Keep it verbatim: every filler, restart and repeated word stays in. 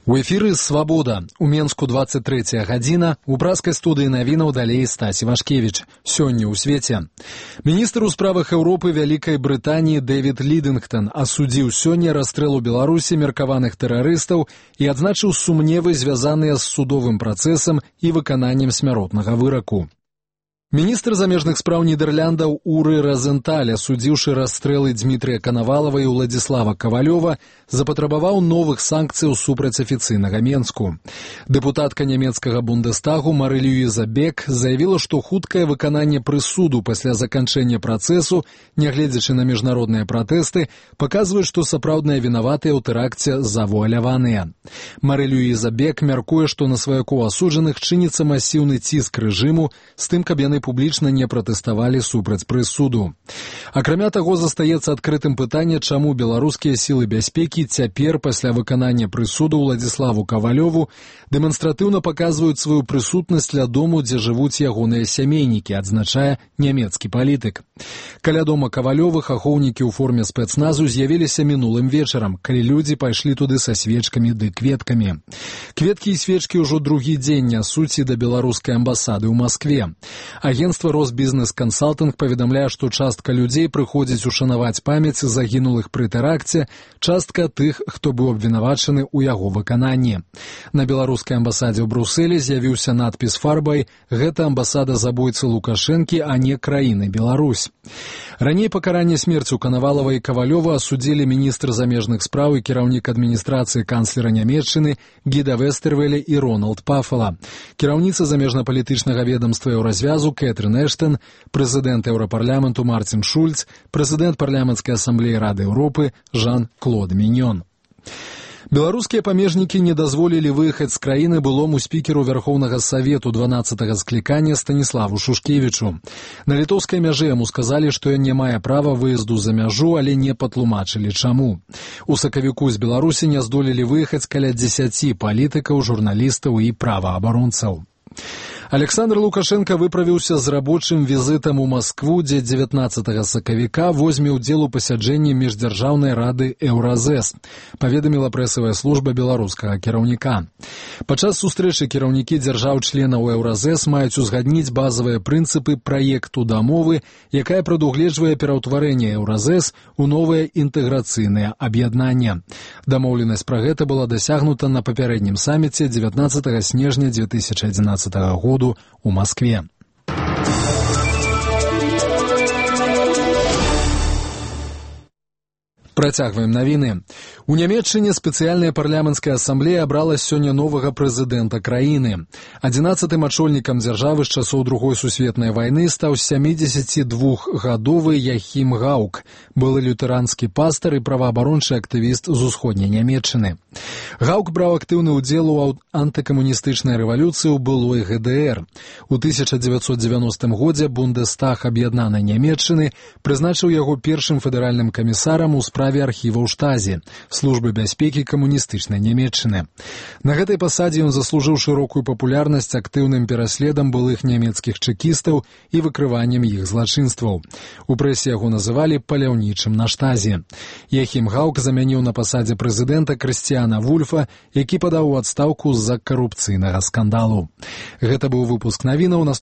У эфіры «Свабода». У Менску двадцать третья гадзіна. У пражскай студыі навінаў далей Стась Івашкевіч. Сёння ў свеце. Міністр у справах Еўропы Вялікай Брытаніі Дэвід Лідынгтон асудзіў сёння расстрэл у Беларусі меркаваных тэрарыстаў і адзначыў сумневы, звязаныя з судовым працэсам і выкананнем смяротнага выраку. Міністр замежных спраў Нідэрляндаў Уры Разенталь, асудзіўшы расстрэлы Дмітрыя Канавалава і Уладзіслава Кавалёва, запатрабаваў новых санкцыяў супраць афіцыйнага Менску. Дэпутатка нямецкага Бундестагу Мары-Люіза Бек заявіла, што хуткае выкананне прысуду пасля заканчэння працэсу, нягледзячы на міжнародныя пратэсты, паказвае, што сапраўдныя вінаватыя ў тэракце завуаляваныя. Мары-Люіза Бек мяркуе, што на сваякоў асуджаных чыніцца масіўны ціск рэжыму з тым, каб яны публічна не пратэставалі супраць прысуду. Акрамя таго, застаецца адкрытым пытанне, чаму беларускія сілы бяспекі цяпер, пасля выканання прысуду Уладзіславу Кавалёву, дэманстратыўна паказваюць сваю прысутнасць ля дому, дзе жывуць ягоныя сямейнікі, адзначае нямецкі палітык. Каля дома Кавалёвых ахоўнікі ў форме спецназу з'явіліся мінулым вечарам, калі людзі пайшлі туды са свечкамі ды кветкамі. Кветкі і свечкі ўжо другі дзень нясуць і да беларускай амбасады ў Маскве. Агентства «Росбізнес-Кансалтынг» паведамляе, што частка людзей прыходзіць ушанаваць памяць загінулых пры тэракце, частка тых, хто быў абвінавачаны ў яго выкананні. На беларускай амбасадзе ў Брусэлі з'явіўся надпіс фарбай «Гэта амбасада забойцы Лукашэнкі, а не краіны Беларусь». Раней пакаранне смерцю Канавалава і Кавалёва асудзілі міністр замежных спраў і кіраўнік адміністрацыі канцлера Нямецчыны Гіда Вестэрвеля і Рональд Пафала, кіраўніца замежна-палітычнага ведамства Еўразвязу Кэтрын Эштон, прэзідэнт Еўрапарламенту Марцін Шульц, прэзідэнт парламенцкай асамблеі Рады Еўропы Жан-Клод Міньён. Беларускія памежнікі не дазволілі выехаць з краіны былому спікеру Вярхоўнага Савету дванаццатага склікання Станіславу Шушкевічу. На літоўскай мяжы яму сказалі, што ён не мае права выезду за мяжу, але не патлумачылі чаму. У сакавіку з Беларусі не здолелі выехаць каля дзесяці палітыкаў, журналістаў і праваабаронцаў. Александр Лукашенко выправіўся з рабочым візітам у Маскву, дзе дзевятнаццатага сакавіка возьме ўдзел у пасяджэнні міждзяржаўнай рады Еўразэс, паведаміла прэсавая служба беларускага кіраўніка. Падчас сустрэчы кіраўнікі дзяржаў-членаў Еўразэс маюць узгадніць базавыя прынцыпы праекту дамовы, якая прадугледжвае пераўтварэнне Еўразэс у новае інтэграцыйнае аб'яднанне. Дамоўленасць пра гэта была дасягнута на папярэднім саміце дзевятнаццатага снежня дзве тысячы адзінаццатага года у Москве. Працягваем навіны. У Нямецчыне спецыяльная парламенцкая асамблея абрала сёння новага прэзідэнта краіны. Адзінаццатым ачольнікам дзяржавы з часоў Другой сусветнай вайны стаў сямідзесяцідвухгадовы Яхім Гаук, былы лютэранскі пастар і праваабарончы актывіст з усходняй Нямецчыны. Гаук браў актыўны ўдзел у антыкамуністычнай рэвалюцыі ў былой гэ дэ эр. У тысяча дзевяцьсот дзевяностым годзе Бундестаг аб'яднанай Нямецчыны прызначыў яго першым федэральным камісарам у справе архіваў штазі, службы бяспекі камуністычнай Нямецчыны. На гэтай пасадзе ён заслужыў шырокую папулярнасць актыўным пераследам былых нямецкіх чэкістаў і выкрываннем іх злачынстваў. У прэсе яго называлі паляўнічым на штазе. Яхім Гаук замяніў на пасадзе прэзідэнта Крысціяна Вульфа, які падаў у адстаўку з-за карупцыйнага скандалу. Гэта быў выпуск навінаў.